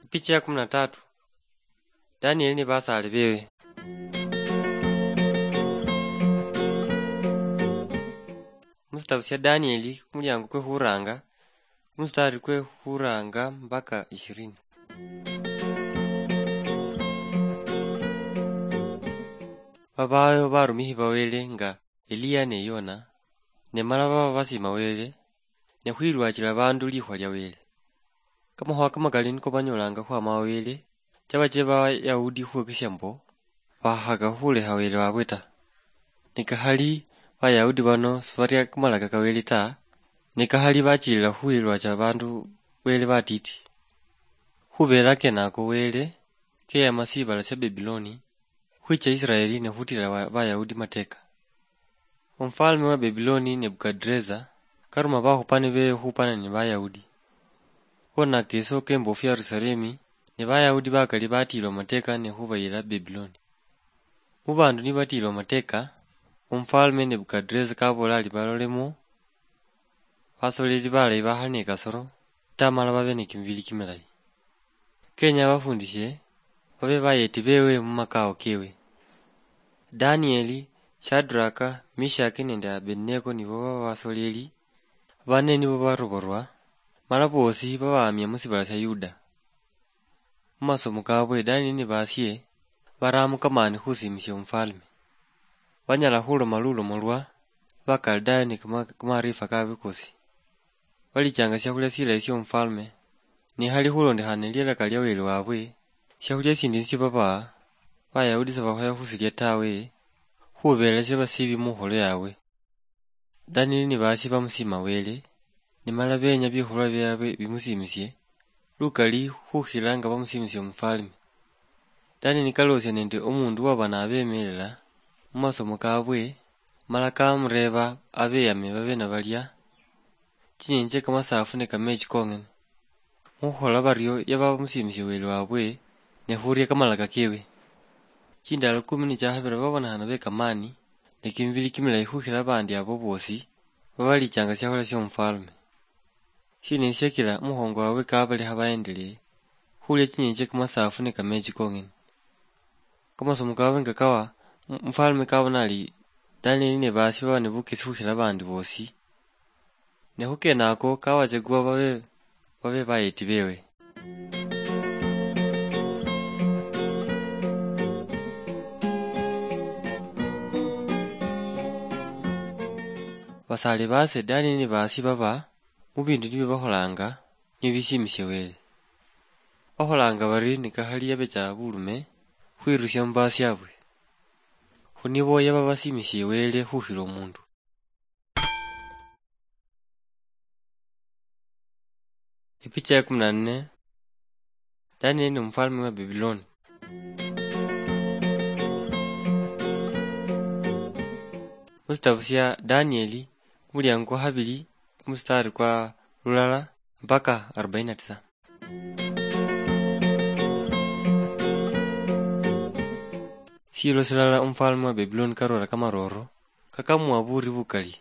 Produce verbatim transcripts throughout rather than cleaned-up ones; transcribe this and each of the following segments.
Picha ya kumi na tatu. Danieli ni basaali bewe. Musitabu sya Danieli, kumulyango kwe khuranga, kumustari kwe khuranga mpaka ishirini. Babayo barumihi ba Wele nga Eliya ne Yona, ne mala baba basima Wele, ne khwilwachila bandu likhwa lya Wele. Kamakhuwa kamakali niko banyolanga khwama wa Wele, chaba che Bayahudi khwokesya mbo, bakhaka khulekha Wele wabwe ta. Ne kakhali Bayahudi bano sibaria kamalaka ka Wele ta, ne kakhali bachilila khwilwacha bandu Wele batiti. Khubera kenako Wele keyama sibala sya Babiloni, khwicha Israeli ne khutila wa-, Bayahudi mateka. Omufalme wa Babiloni Nebukadreza karuma bakhupani bewe khupana ni Bayahudi. Khonaka iso kembofu Yerusalemi, ne Bayahudi bakali batilwa mateka ne khubayila Babiloni. Mu bandu nibatiilwe amateka, omufwalme Nebukadreza kabola ari balolemo, basoleli balayi bakhali ne kasoro, tamala babe ne kimibili kimilayi. Kenya abafundishe babe bayeti bewe mu makao kewe. Danieli, Shadraka, Mishaki nende Abednego nibo baba basoleli bane nibo baroborwa, mala bosi babamia mu sibala sia Yuda. Mu masomo kabwe, Danieli ni basie baramu kamani khusimisia omufalme. Banyala khuloma lulomo lwa Bakaldayo ni kama-, kamaarifa kabwe kosi. Balichanga siakhulia silayi siomufalme, nikhali khulondekhana nelialaka lia Wele wabwe, siakhulia sindi nisio baba Bayahudi sibakhoya khusilia tawe, khubela siaba sibi mukholo yabwe. Danieli ni basie bamusima Wele, nimala benya bikhulwa biabwe bimusiimisie lukali khukhila nga bamusiimisie omufalme. Danieli nikaloosia nende omundu waba nabemelela mu masomo kabwe, mala kamureeba abeyame babe nabalia chinyenje chie kamasaafu ne kamechi kong'ene. Mukhukhola bario yaba bamusiimisie Wele wabwe ne khuria kamalaka kewe. Chindalo kumi nichiakhabira babonekhana bekamani ne kimibili kimilayi khukhila abandi abo bosi babalichanga siakhulia siomufalme. Shina eshiakira omukhongo wabwe kabalekha baendelee khulia chinyenje chie kamasaafu ne kamechi kong'ene? Kamasomo kabwe nga kawa, mu-, mufalme kabona ari Danieli ne basie baba ne bukesi khukhila abandi bosi. Ne khukenako kawachagua babe, babe bayeti bewe. Basaali baase Danieli ni baasi baba mu biindu nibyo bakholanga nibyo bisiimisie Wele. Bakholanga bari nikakhali yabecha bulume khwirusia mu baasiabwe. Khu nibo yaba basiimisie Wele khukhila omundu. Epicha ya kumi na nne. Danieli ni omufalme wa Babiloni. Musitabu sia Danieli, kumuliango kwa khabili, kumustari kwa lulala mpaka arobaini na tisa. Shiilo shilala omufalme wa Babiloni karora kamaroro, kakamuwa buuri bukali.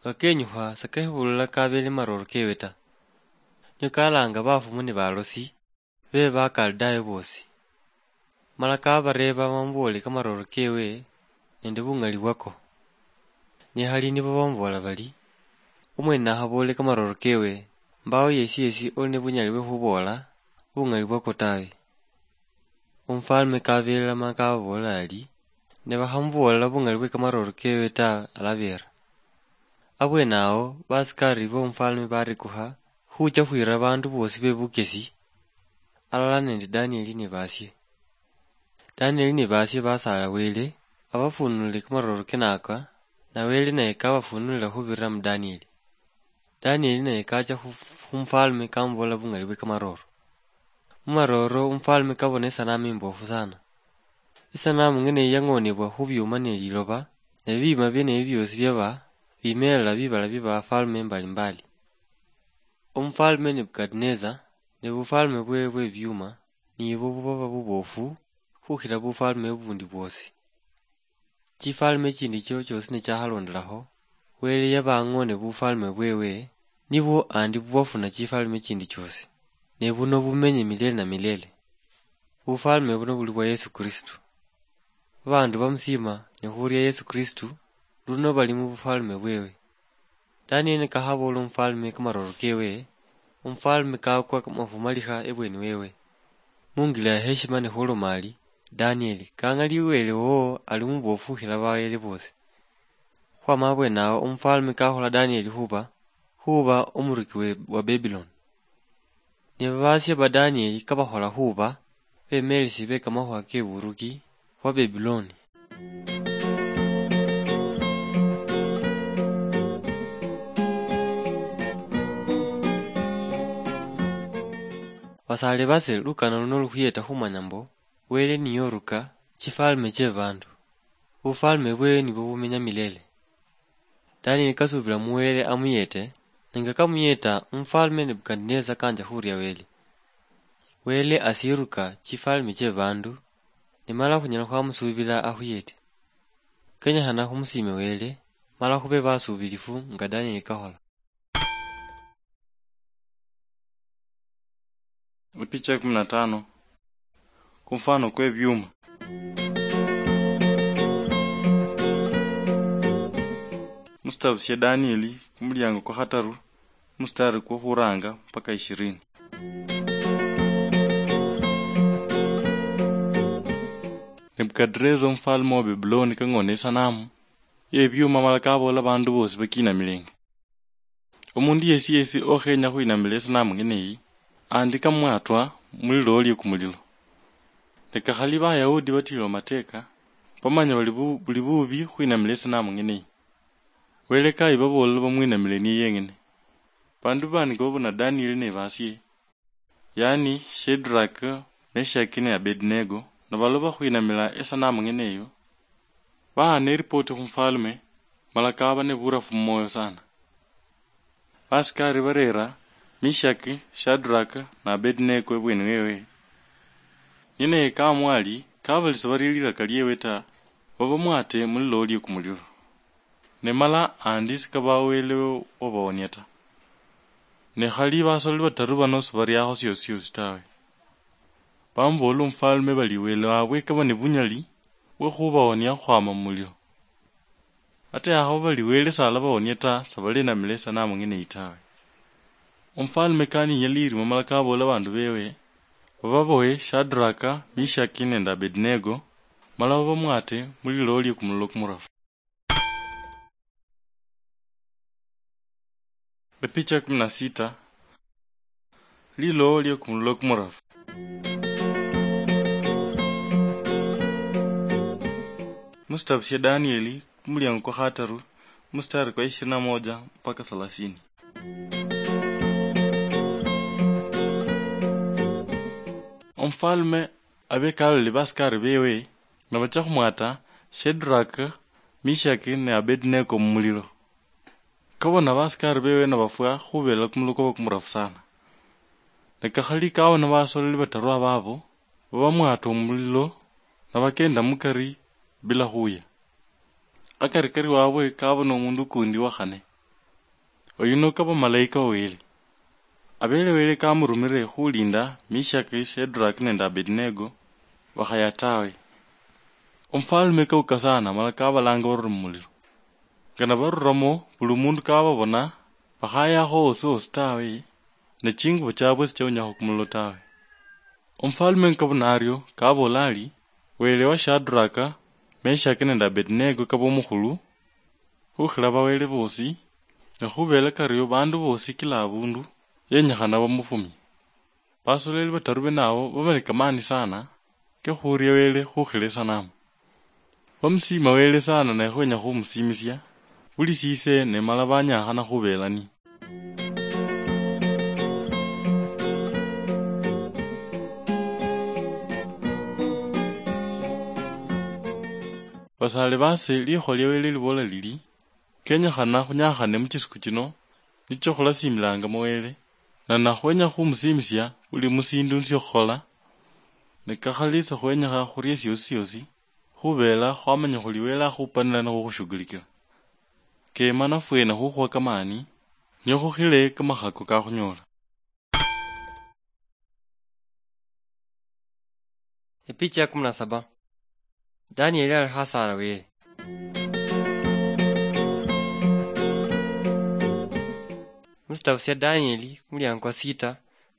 Nga kenyukha, sakehebulula kabeele maroro kewe ta. Nio kalaanga bafumu ni balosi be Bakaldayo boosi. Mala kabareeba bamuboole kamaroro kewe nende buŋali bwako. Nikhali nibo bamuboola bari, "Omwene nakhaboole kamaroro kewe, mbawo yesi yesi oli ne bunyali bwe khuboola buŋali bwako tawe." Omufalme kabelela ma kababoolela ari, "Ne bakhamuboolela buŋali bwe kamaroro kewe ta, alabeera." Abweene awo, basikari bomufalme barekukha khucha khwira baandu boosi be bukesi, alala nende Danieli ni baasye. Danieli ni baasye basaala Wele abafunulile kamaroro kenaka, na Wele naye kabafunulila khubirira mu Danieli. Danieli naye kacha khu, khumufalme kamuboolela buŋali bwe kamaroro. Mu maroro, omufalme kabona esanamu imboofu sana. Esanamu ng'ene eyi yang'onebwa khu byuma ne liloba, ne bibiima byene ebi byoosi byaba bimeelela bibala bye bafalme mbalimbali. Omufalme Nebukadneza ne bufalme bwe bwe byuma nibo bubaba buboofu khukhila bufalme bubundi bwoosi. chifalme chindi chio chiosi ne chahalondelaho, Wele yaba ang'one bufalme bwewe, nibwo andi bwafuna chifalme chindi chiosi, ne buno bumenye milele na milele. Bufalme buno buli bwa Yesu Kristu. Babandu bamusima ne khuria Yesu Kristu, luno bali mu bufalme bwewe. Danieli nikakhabola omufalme kamaroro kewe, omufalme kakwa kamafumalikha ebweni wewe. Mungila ya heshima ne khuloma ali, Danieli, kang'ali Wele wowo ali mubofu khukhila bawele bosi. Khwama abwenawo omufalme kakhola Danieli khuba, khuba omuruki we, wa Babylon. Ne babasia ba Danieli kabakhola khuba bemelesi be kamakhuwa ke buruki bwa Babyloni. Basale base, lukano luno lukhuyeta khumanya mbo Wele niye oruka chifalme che bandu. Bufalme bwewe nibwo bumenya milele. Danieli kasubila mu Wele amuyete, ne nga kamuyeta, omufalme Nebukadineza kanja khuria Wele. Wele asiruka chifalme che bandu, nimala khunyala khwamusubila akhuyete. Kenyekhana khumusiime Wele, mala khube basubilifu nga Danieli kakhola. Epicha ya kumi na tano. Kumfano kwe byuma. Musitabu sya Danieli, kumulyango kwa khataru, mustari kwa khuranga mpaka ishirini. Nebukadreza omufalme wa Babuloni kang'ona esanamu ye byuma mala kaboola bandu bosi bakinamilenge. Omundu yesi yesi okhenya khwinamila esanamu ng'ene eyi, andika mwatwa mulilo lye kumulilo. Ne kakhali Bayahudi batilwa mateka, bamanya bali bu-, buli bubi khwinamila esanamu ng'ene eyi. Wele kayi baboolela bamwinamile niye yeng'ene. Bandu bani nga babona Danieli ne basie, yaani Shadraka, Meshaki ne Abednego, nibaloba khwinamila esanamu ng'ene eyo, bahaana eripoti khumufalme, mala kaba neburafu mumwoyo sana. Basikari barera Meshaki, Shadraka na Abednego ebweni wewe. Niye naye kamwa ali, kabali sibaria liraka liewe ta, babamwate mulilo lie kumulilo. Ne mala andi sikaba Wele wabawonia ta. Ne khali basololi bataru bano sibariakho siosi siosi tawe. Bamubool'la omufalme bali Wele wabwe kaba ni bunyali bwe khubawonia khukhwama mumulilo. Ata yakhaba bali Wele salabawonia ta, sabalinamila esanamu ng'ene eyi tawe. Omufalme kaninya lirima mala kaboola bandu bewe, bababohe Shadraka, Meshaki nende Abednego, mala babamwate mulilo lie kumulilo kumurafu. Epicha ya kumi na sita. Lilo lie kumulilo kumurafu. Musitabu sya Danieli, kumulyango kwa khataru, mustari kwa ishirini na moja mpaka thelathini. Omufalme abekaloli basikari bewe, nabacha khumwata Shadraka, Meshaki ne Abednego mumulilo. Kabona basikari bewe nabafwa khubela kumulilo kwaba kumurafu sana. Ne kakhali kabona basololi bataru ababo, babamwata omulilo, nabakenda mukari bila khuya. Akarikari wabwe kabona omundu kundi wa khane. Oyuno kaba malaika wa Wele. Abele Wele kamurumire khulinda Meshaki, Shadraka nende Abednego bakhaya tawe. Omufalme kauka sana mala kabalanga barure mumulilo. Nga nabaruramo, buli mundu kababona, bakhayakho osi osi tawe, ne chingubo chabwe sichaunyakho kumulilo tawe. Omufalme nkabona ario, kabola ari, Wele wa Shadraka, Meshaki nende Abednego kaba omukhulu khukhila bawele bosi, ne khubela kario bandu bosi kila abundu yenyikhana bamufumie. Basoleli bataru bene abo baba ne kamani sana ke khuria Wele khukhila esanamu. Bamusiima Wele sana ne khwenya khumusiimisia buli sise, ne mala banyakhana khubelani. Basaale baase, likhuwa lia Wele libola lili, kenyekhana khunyakhane mu chisiku chino, nicho khulasiimilangamo Wele, na nakhwenya khumusiimisia buli mu siindu nsiokhukhola, ne kakhali sikhwenyekha khurie siosi siosi, Khubela khwamanya khuli Wele akhupanila nikhukhushughulikila. Kema nafwene khukhuwa kamani, nio khukhile kamakhako kakhunyola. Epicha ya kumi na saba. Danieli ali khasala Wele. Musitabu sia Danieli, kumuliango kwa sita,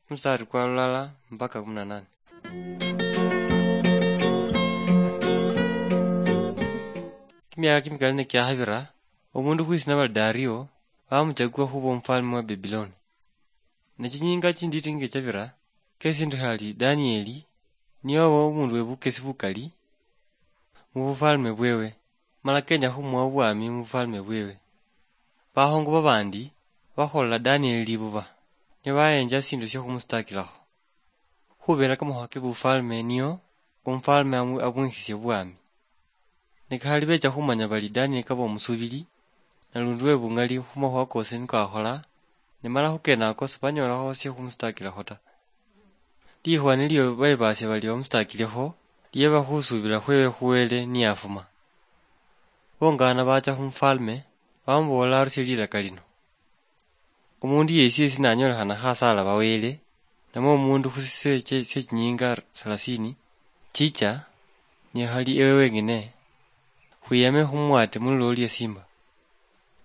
kumustari kwa lulala mpaka kumi na nane. Kimiaka kimikali nikiakhabira, omundu khwisina bali Dario bamuchakua khuba omufalme wa Babiloni. Ne chinyinga chinditi ngechabira, kesindi khali Danieli niye oba omundu webukesi bukali mubufalme bwewe, mala kenya khumuwa obwami mubufalme bwewe. Bakhongo babandi bakholola Danieli libuba, ne bayenja sindu sia khumustakilakho. Khubera kamakhuwa kebufalme nio omufalme amu-, amwikhisie bwami. Ne kakhali becha khumanya bali Danieli kaba omusubili, nalundi webungali khumakhuwa kosi niko akhola, ne mala khukenako sibanyoolakho sia khumustakilakho ta. Likhuwa nilio bebasia bali bamustakilekho, lieba khusubila khwewe khu Wele niyafuma. Bongana bacha khumufalme, bamubool'la arusie liraka lino. Omundu yesi yesi nanyolekhana khasala ba Wele, namwe omundu khusise chie, chie chinyinga salasini, chicha, niye khali ewe wengene, khwiyame khumwate mulilo lie simba.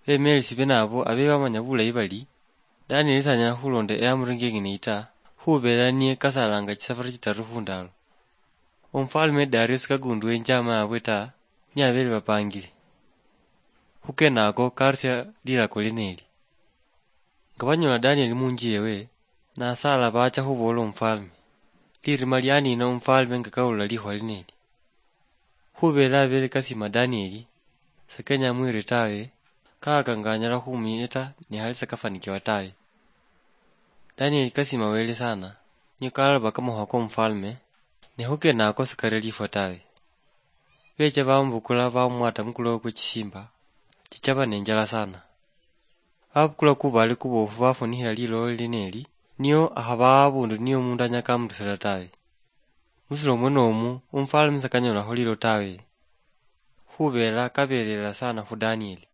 Bemelesi bene abo abe bamanya bulayi bali, Danieli sanyala khulonda eamri ngengene yi ta, khubera niye kasalanga chisafari chitaru khundalo. Omufalme Dario sikagundue injama yabwe ta, niabele bapangile. Khukenako karusia lirako lieneli. Nga banyola Danieli munju yewe, nasala bacha khuboola omufalme. Lirima lianina omufalme nga kawulila likhuwa lieneli. Khubela abele kasima Danieli, sakenya amwire tawe, kahaka nga anyala khumuyeta nikhali sakafanikiwa tawe. Danieli kasima Wele sana, nio kalaloba kamakhuwa komufalme, ne khukenako sikaria lifwa tawe. Becha bamubukula bamumwata mukulo kwechisimba, chichaba nenjala sana. Babukula kubaale kuboofu bafunikhila lilolo lieneli, nio akhaba abundu nio omundu anyala kamutusila tawe. Musilo mwenomu, omufalme sakanyolakho lilo tawe, khubela kabelela sana khu Danieli.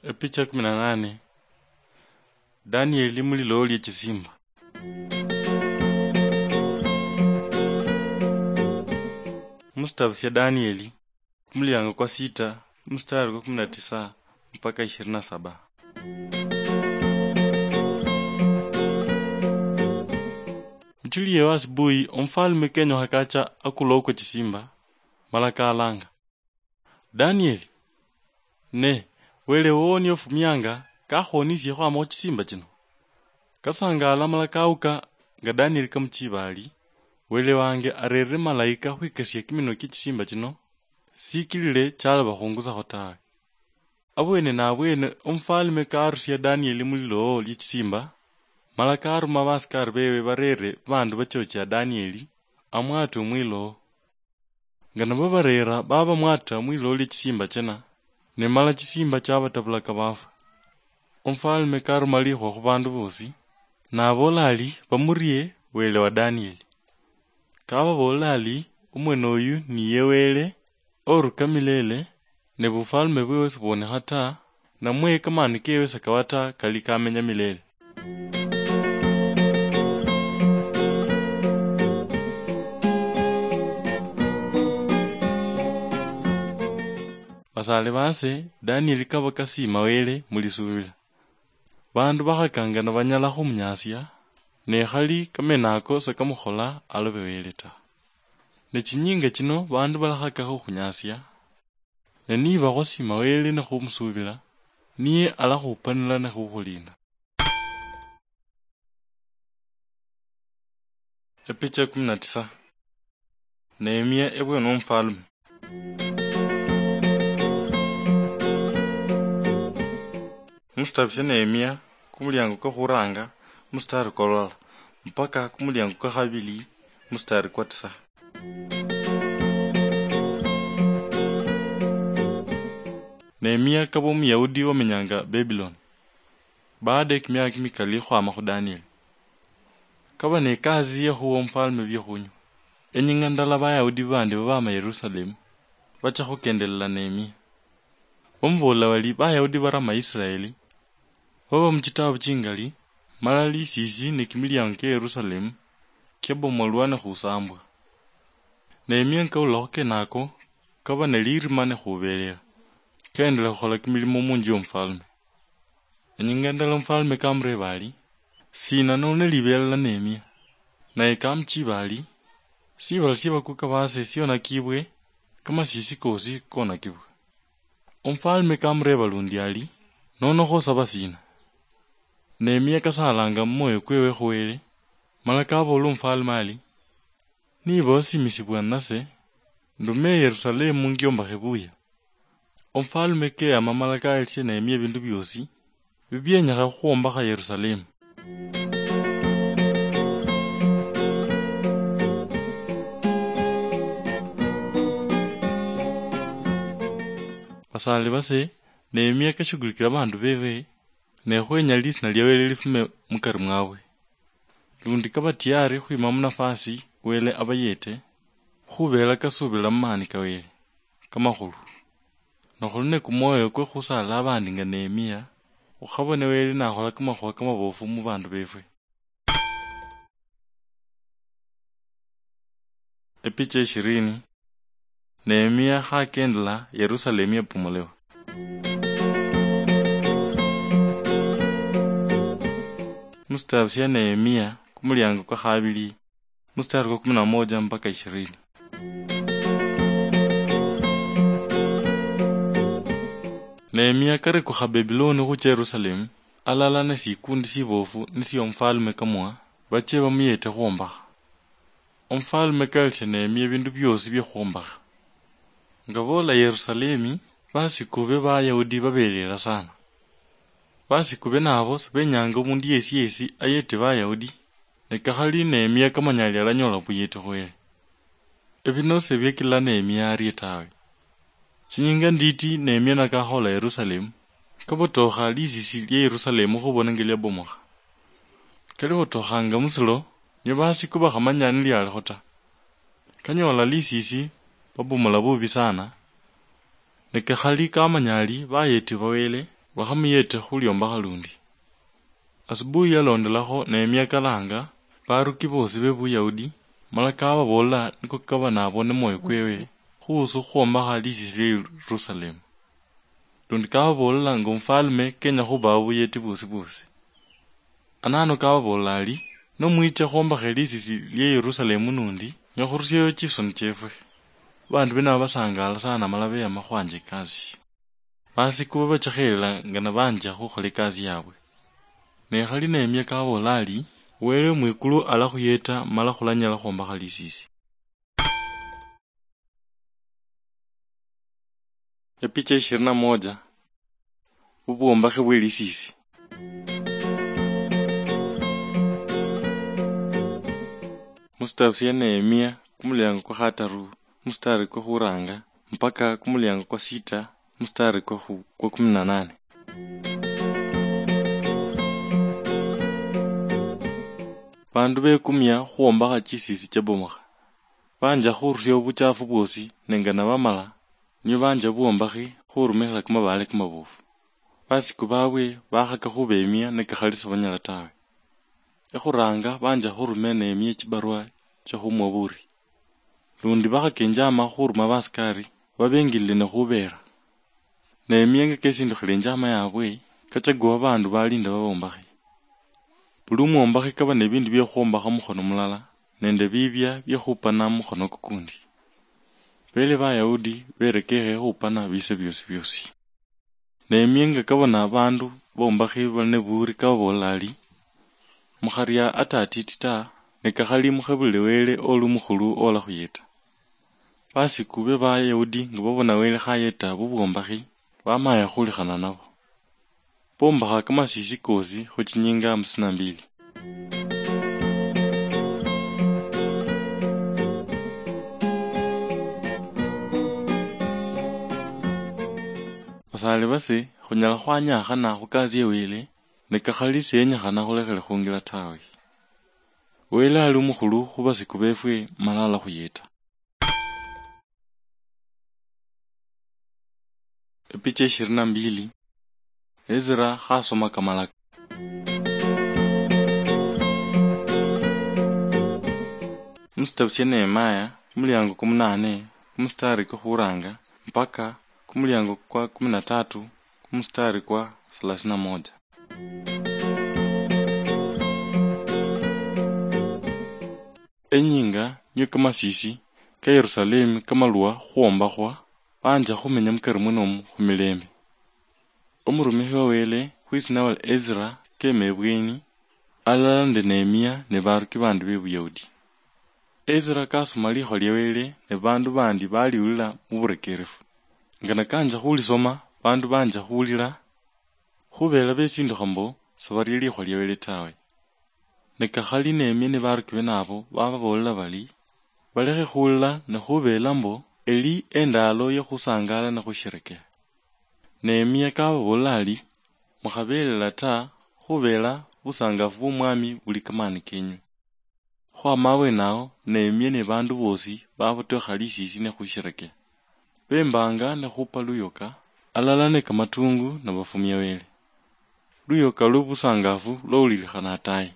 Epicha kumi na nane. Danieli mulilo lie chisimba. Musitabu sia Danieli, kumuliango kwa sita, mustari kwa kumi na tisa mpaka ishirini na saba. Muchuli yewe asubuhi, omufalme kenyokha kacha akulo kwe chisimba, mala kalanga, "Danieli, ne, Wele wowo niye ofumianga, kakhwonisie khwama khuchisimba chino?" Kasangaala mala kauka nga Danieli kamuchiba ari, "Wele wange arerere malaika khwikesia kiminwa kie chisimba chino, sikilile chalaba khungusakho tawe." Abwene nabwene omufalme karusia Danieli mulilo lie chisimba, mala karuma basikari bewe barere bandu bachochia Danieli amwatwe mwilo. Nga nibabareera, babamwata mwilolo lie chisimba china, ne mala chisimba chabatabulaka bafwa. Omufalme karuma likhuwa khubandu bosi, naboola ari bamurie Wele wa Danieli. Kababoolela ari, "Omwene oyu niye Wele, oruka milele, ne bufalme bwewe sibwonekha ta, namwe kamani kewe sakaba ta, kali kamenya milele." Basaale baase, Danieli kaba kasiima Wele mu lisuubila. Baandu bakhakanga nibanyala khumunyaasia, ne khali kamene ako sikamukhola alobe Wele ta. Ne chinyiinga chino baandu balakhakakho khukhunyasia, ne niba khwasiima Wele nikhumusuubila, niye alakhupanila nikhukhulinda. Epicha kumi na tisa. Nehemia ebweene w'omufaalume. Musitabu sya Nehemia, kumulyango kwa khuraanga, musitaari kwa lulala, mpaka kumulyango kwa khabili, musitaari kwa tisa. Nehemia kaba Omuyahudi wamenyanga Babiloni. Baada ye kimyaka kimikali khwama khu Danieli, kaba ne kazi ya khuwa omufalme biokhunywa. Enyinga ndala Bayahudi bandi babama Yerusalemu bacha khukendelela Nehemia. Bamubool'la bali, Bayahudi barama Israeli baba muchitabu chingali, mala lisisi ne kimiliango kia Yerusalemu kiabomolwa ne khusambwa. Nehemia nkawulakho kenako, kaba ne lirima ne khubelela, kendela khukhola kimilimo munju yomufalme. Enyinga ndala omufalme kamureeba ari, "Sina noli ne libelela Nehemia?" Naye kamuchiba ari, "Sibala sie bakuka base sionakibwe, kamasisi kosi konakibwe." Omufalme kamureeba lundi ari, "Nono khosaba sina?" Nehemia kasalanga mumwoyo kwewe khu Wele, mala kaboola omufalme ari, "Niba osimisibwa nase, ndume Yerusalemu ngiombakhe buya." Omufalme keyama mala kaelisia Nehemia ebindu biosi bibienyekha khukhwombakha Yerusalemu. Basaali base, Nehemia kashughulikila babandu bebe, ne khwenya lisina lia Wele lifume mukari mwabwe. Lundi kaba tiyari khwima munafasi Wele abayete, khubela kasubila mumaani ka Wele kamakhulu. Nokhuli ne kumwoyo kwe khusaala abandi nga Nehemia, khukhabone Wele nakhola kamakhuwa kamabofu mubandu befwe. Epicha ishirini. Nehemia khakendela Yerusalemu yabomolewa. Musitabu sia Nehemia kumuliango kwa khabili, musitari kwa kumi na moja mpaka ishirini. Nehemia karekukha Babiloni khucha Yerusalemu, alala ne sikundi sibofu nisio omufalme kamwa, bache bamuyete khwombakha. Omufalme kaelisia Nehemia ebindu biosi bia khwombakha. Nga boola Yerusalemi, basiku be Bayahudi babelela sana. Basiku be nabo sibenyanga omundu yesi yesi ayete Bayahudi, ne kakhali Nehemia kamanyali alanyola obuyeti khwele. Ebino sebiekela Nehemia arie tawe. Chinyinga nditi Nehemia nakakhola Yerusalemu, kabotokha lisisi lia Yerusalemu khubona nga liabomokha. Kalibotokhanga musilo, nio basiku bakhamanya nilialikho ta. Kanyola lisisi, babomola bubi sana, ne kakhali kamanyali bayeti ba Wele bakhamuyete khuliombakha lundi. Asubuhi yalondelakho Nehemia kalanga baruki bosi be Buyahudi, mala kababool'la niko kaba nabone mwoyo kwewe khuhusu khwombakha lisisi lie Yerusalemu. Lundi kababool'la nga omufalme kenya khubaha obuyeti bwosi bwosi. Anano kababool'la ari, "Nomwicha khwombakha lisisi lie Yerusalemu nundi, nyala khurusiayo chisoni chiefwe." Bandu bene aba basangaala sana mala beyama khwanja ekasi. Basiku babachekhelela nga nabanja khukhola ekasi yabwe. Ne khali Nehemia kaboola ari, "Wele mwikulu alakhuyeta mala khulanyala khwombakha lisisi." Epicha ishirini na moja. Bubwombakhi bwe lisisi. Musitabu sia Nehemia, kumuliango kwa khataru, musitari kwa khuranga, mpaka kumuliango kwa sita, musitari kwa khu-, kwa kumi na nane. Bandu bekumia khwombakha chisisi chabomokha. Banja khurusia obuchafu bwosi, nenga nabamala, nio banja bwombakhi khurumikhila kamabaale kamabofu. Basiku babwe bakhaka khubemia ne kakhali sibanyala tawe. Ekhuranga banja khurumia Nehemia chibarua chia khumwa buri. Lundi bakhaka enjama khuruma basikari babengilile ne khubeera. Nehemia nga kesindukhila enjama yabwe, kachagua babandu balinda babombakhi. Buli omwombakhi kaba nebindu bie khwombakha mukhono mulala, nende bibia bie khupana mukhono kukundi. Bele Bayahudi berekekhe khupana bise biosi biosi. Nehemia nga kabona abandu bombakhi bali ne buri kababoolela ari, "Mukharia ata atiti ta, ne kakhali mukhebulile Wele oli omukhulu olakhuyeta." Basiku be Bayahudi nga babona Wele khayeta bubwombakhi, bamaya khulikhana nabo. Bombakha kamasisi kosi khu chinyinga hamsini na mbili. Basale base, khunyala khwanyakhana khu kazi ya Wele, ne kakhali siyenyekhana khulekhele khungila tawe. Wele ali omukhulu khubasiku befwe, mala alakhuyeta. Epicha ishirini na mbili. Ezra khasoma kamalaka. Musitabu sia Nehemaya, kumuliango kwa munane, kumustari kwa khuranga, mpaka kumuliango kwa kumi na tatu, kumustari kwa thelathini na moja. Enyinga niyo kamasisi ka Yerusalemu kamalwa khwombakhwa, banja khumenya mukari munomu khumilembe. Omurumikhi wa Wele khwitsina wa Ezra kema ebweni, alala nende Nehemia ne baruki bandi be Buyahudi. Ezra kasoma likhuwa lia Wele, ne bandu bandi baliulila muburekerefu. Nga nakanja khulisoma, bandu banja khuulila, khubela besindukha mbo sabaria likhuwa lia Wele tawe. Ne kakhali Nehemia ne baruki bene abo bababoolela bali, balekhe khuulila ne khubela mbo eli endaalo ya khusangala ne khusherekea. Nehemia kababool'la ali, mukhabeelela ta, khubeela busangafu bw'Omwami buli kamaani kenywe. Khwama abweene ao, Nehemia ne baandu boosi babotokha lisiisi ne khusherekea. Bembaanga ne khupa luyoka, alala ne kamatuungu nabafumia Wele. Luyoka lwe busangafu lwawulilikhana ataayi.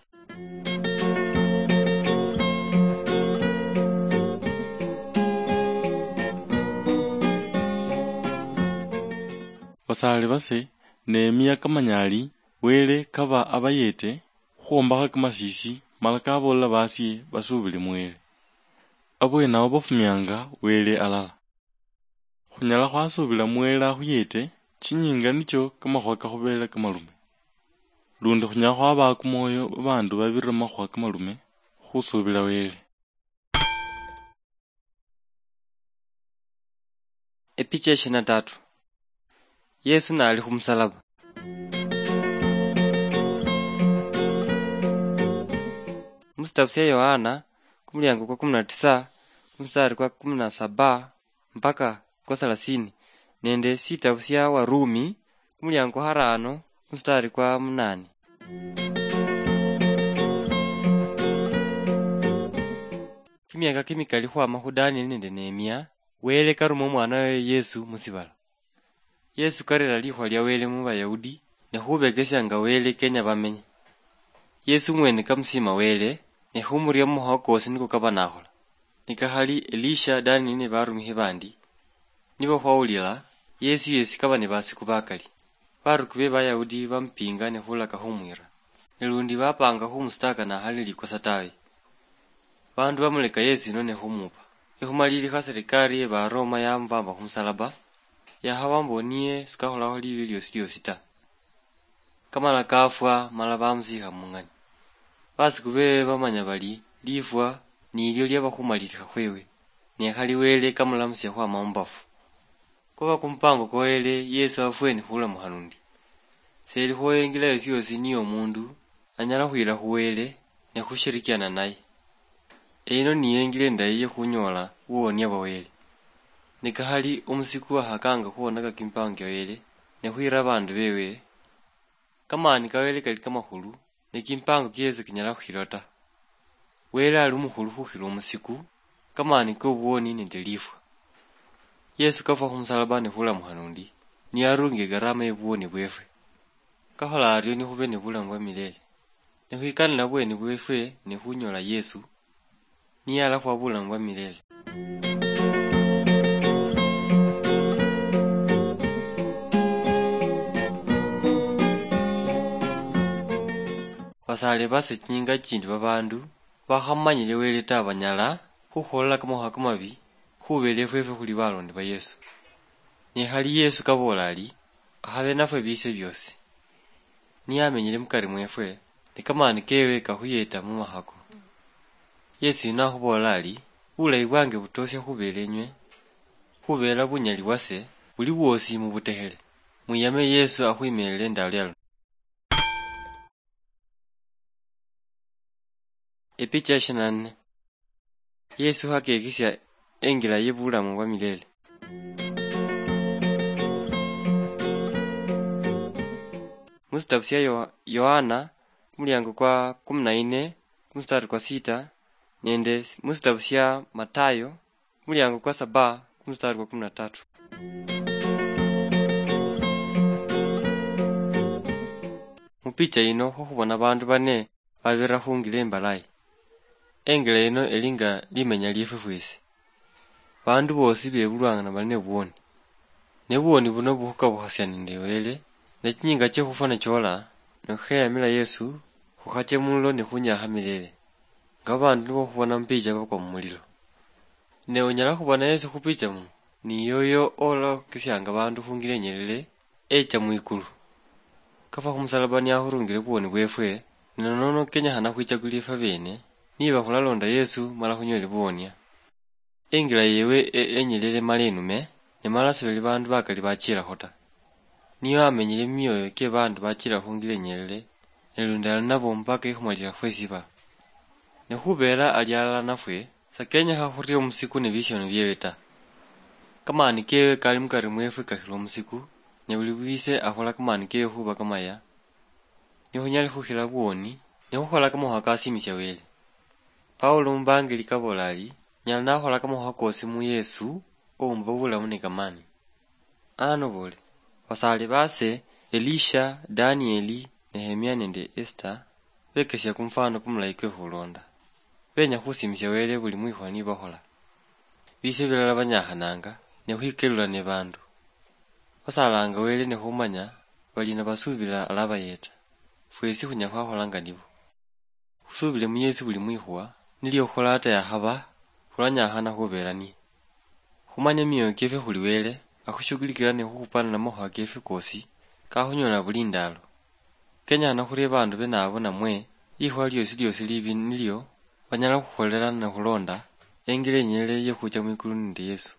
Basaale base, Nehemia kamanya ali Wele kaba abayeete khwombakha kamasiisi, mala kaboolela baasye basuubile mu Wele. Abweene ao bafumianga Wele alala. Khunyala khwasuubila mu Wele akhuyeete, chinyiinga nicho kamakhuwa kakhubeele kamalume. Lundi khunyala khwabaa kumwoyo babaandu babirira mu makhuwa kamalume khusuubila Wele. Epicha ya ishirini na tatu. Yesu nali khumusalaba. Musitabu sia Yohana, kumuliango kwa kumi na tisa, kumustari kwa kumi na saba mpaka kwa thelathini, nende sitabu sia Warumi, kumuliango kwa haraano, kumustari kwa munane. Kimiaka kimikali khwama khu Danieli nende Nehemia, Wele karuma omwana waye Yesu musibala. Yesu karera likhuwa lia Wele mu Bayahudi, ne khubekesia nga Wele kenya bamenye. Yesu mwene kamusiima Wele, ne khumuria mu makhuwa kosi niko kaba nakhola. Nikakhali Elisha, Danieli ne barumikhi bandi, nibo khwawulila, Yesu yesi kaba ne basiku bakali. Baruki be Bayahudi bamupinga ne khulaka khumwira. Ne lundi bapanga khumusitaka nakhali likosa tawe. Bandu bamuleka Yesu yino ne khumupa. Nikhumalilikha serikali ye Baroma yamubamba khumusalaba, yakhaba mbo niye sikakholakho libi liosi liosi ta. Kamala kafwa, mala bamusiikha mung'ani. Basiku bewe bamanya bali lifwa nilio liaba khumalilikha khwewe, ne khali Wele kamulamusia khwama mubafu. Khuba kumupango kwa Wele, Yesu afwe ni khulamukha lundi. Selikho injila yosi yosi niyo omundu anyala khwila khu Wele ne khushirikiana naye. Eyino niyo injila indayi ye khunyoola buwonia bwa Wele. Nikakhali omusiku akhakanga khuhonaka kimipango kia Wele ne khwira abandu bewe, kamaani ka Wele kali kamakhulu, ne kimipango kiesi kinyala khukhilwa ta. Wele ali omukhulu khukhila omusiku, kamaani kobuwoni nende lifwa. Yesu kafwa khumusalaba ne khulamukha lundi, niye arungi egarama yebuwoni bwefwe. Kakhola ario nikhube ne bulamu bwa milele. Nikhwikanila bweni bwefwe ne khunyola Yesu, niye alakhuwa bulamu bwa milele. Basaale base chinyinga chindi babaandu bakhamanyile Wele ta banyala khukhulola kamakhuwa kamabi khubela efwefwe khuli balondi ba Yesu. Nikhali Yesu kaboola ali, akhabe nafwe biise biosi. Niye amenyile mukari mwefwe, ne kamaani kewe kakhuyeta mu makhako. Yesu yuno akhuboola ali, bulayi bwange butoosia khubela enywe, khubela bunyali bwase buli bwosi mubutekhele. Mwiyame Yesu akhwimelele endalo yano. Epicha ya ishirini na nne. Yesu hakekisia enjila ye bulamu bwa milele. Musitabu sia Yo-, Yohana, kumuliango kwa kumi na nne, kumustari kwa sita, nende musitabu sia Matayo, kumuliango kwa saba, kumustari kwa kumi na tatu. Mupicha yino khukhubona bandu bane babirira khungila imbalayi. Engila yino eli nga limenya liefwe fwesi. Bandu bosi bebulwanga nabali ne buwoni. Ne buwoni buno bukhukabukhasya nende Wele, ne chinyinga chie khufwa nichola, ne khukheyamila Yesu, khukhache mulo ne khunyakha milele. Nga bandu nibo khubona mupicha bakwa mumulilo. Ne onyala khubona Yesu khupicha muno, ni yoyo olakisianga bandu khungila inyelele, echa mwikulu. Kafwa khumusalaba niakhurungile buwoni bwefwe, ne nono kenyekhana khwichakulile ifwe bene, niba khulalonda Yesu mala khunyole buwonia. Engila yewe e-, enyelele mala enume, ne mala sibali bandu bakali bachilakho ta. Niyo amenyile mumioyo kie bandu bachila khungila enyelele, ne lundi ali nabo mpaka ikhumalila khwesiba. Ne khubera ali alala nafwe, sakenyekha khuria omusiku ne bisiano biewe ta. Kamani kewe kali mukari mwefwe kakhila omusiku, ne buli wise akhola kamani kewe khuba kamaya, ne khunyale khukhila buwoni, ne khukhola kamakhuwa kasimisia Wele. Paulo mubangeli kabola ali, nyala nakhola kamakhuwa kosi mu Yesu, oumba bulamu ne kamani. Ano bole, basaali baase, Elisha, Danieli, Nehemia nende Esther, bekesia kumufano kumulayi kwe khulonda. Benya khusimisia Wele buli mwikhuwa nibakhola. Bise bilala banyakhananga ne khwikelula ne bandu. Basaalanga Wele ne khumanya bali nabasuubila alabayeta. Fwesi khunyala khwakholanga nibo. Khusuubile mu Yesu buli mwikhuwa, nilio khukhola ata yakhaba, khulwanyakhana khubeera niye. Khumanya mioyo kiefwe khuli Wele, akhushugulikila ne khukhupana namakhuwa keefwe kosi, kakhunyola buli ndaalo. Kenyakhana khurie bandu bene abo namwe, likhuwa liosi liosi libi nilio, banyala khukholela ne khulonda, engila inyelele yekhucha mwikulu nende Yesu.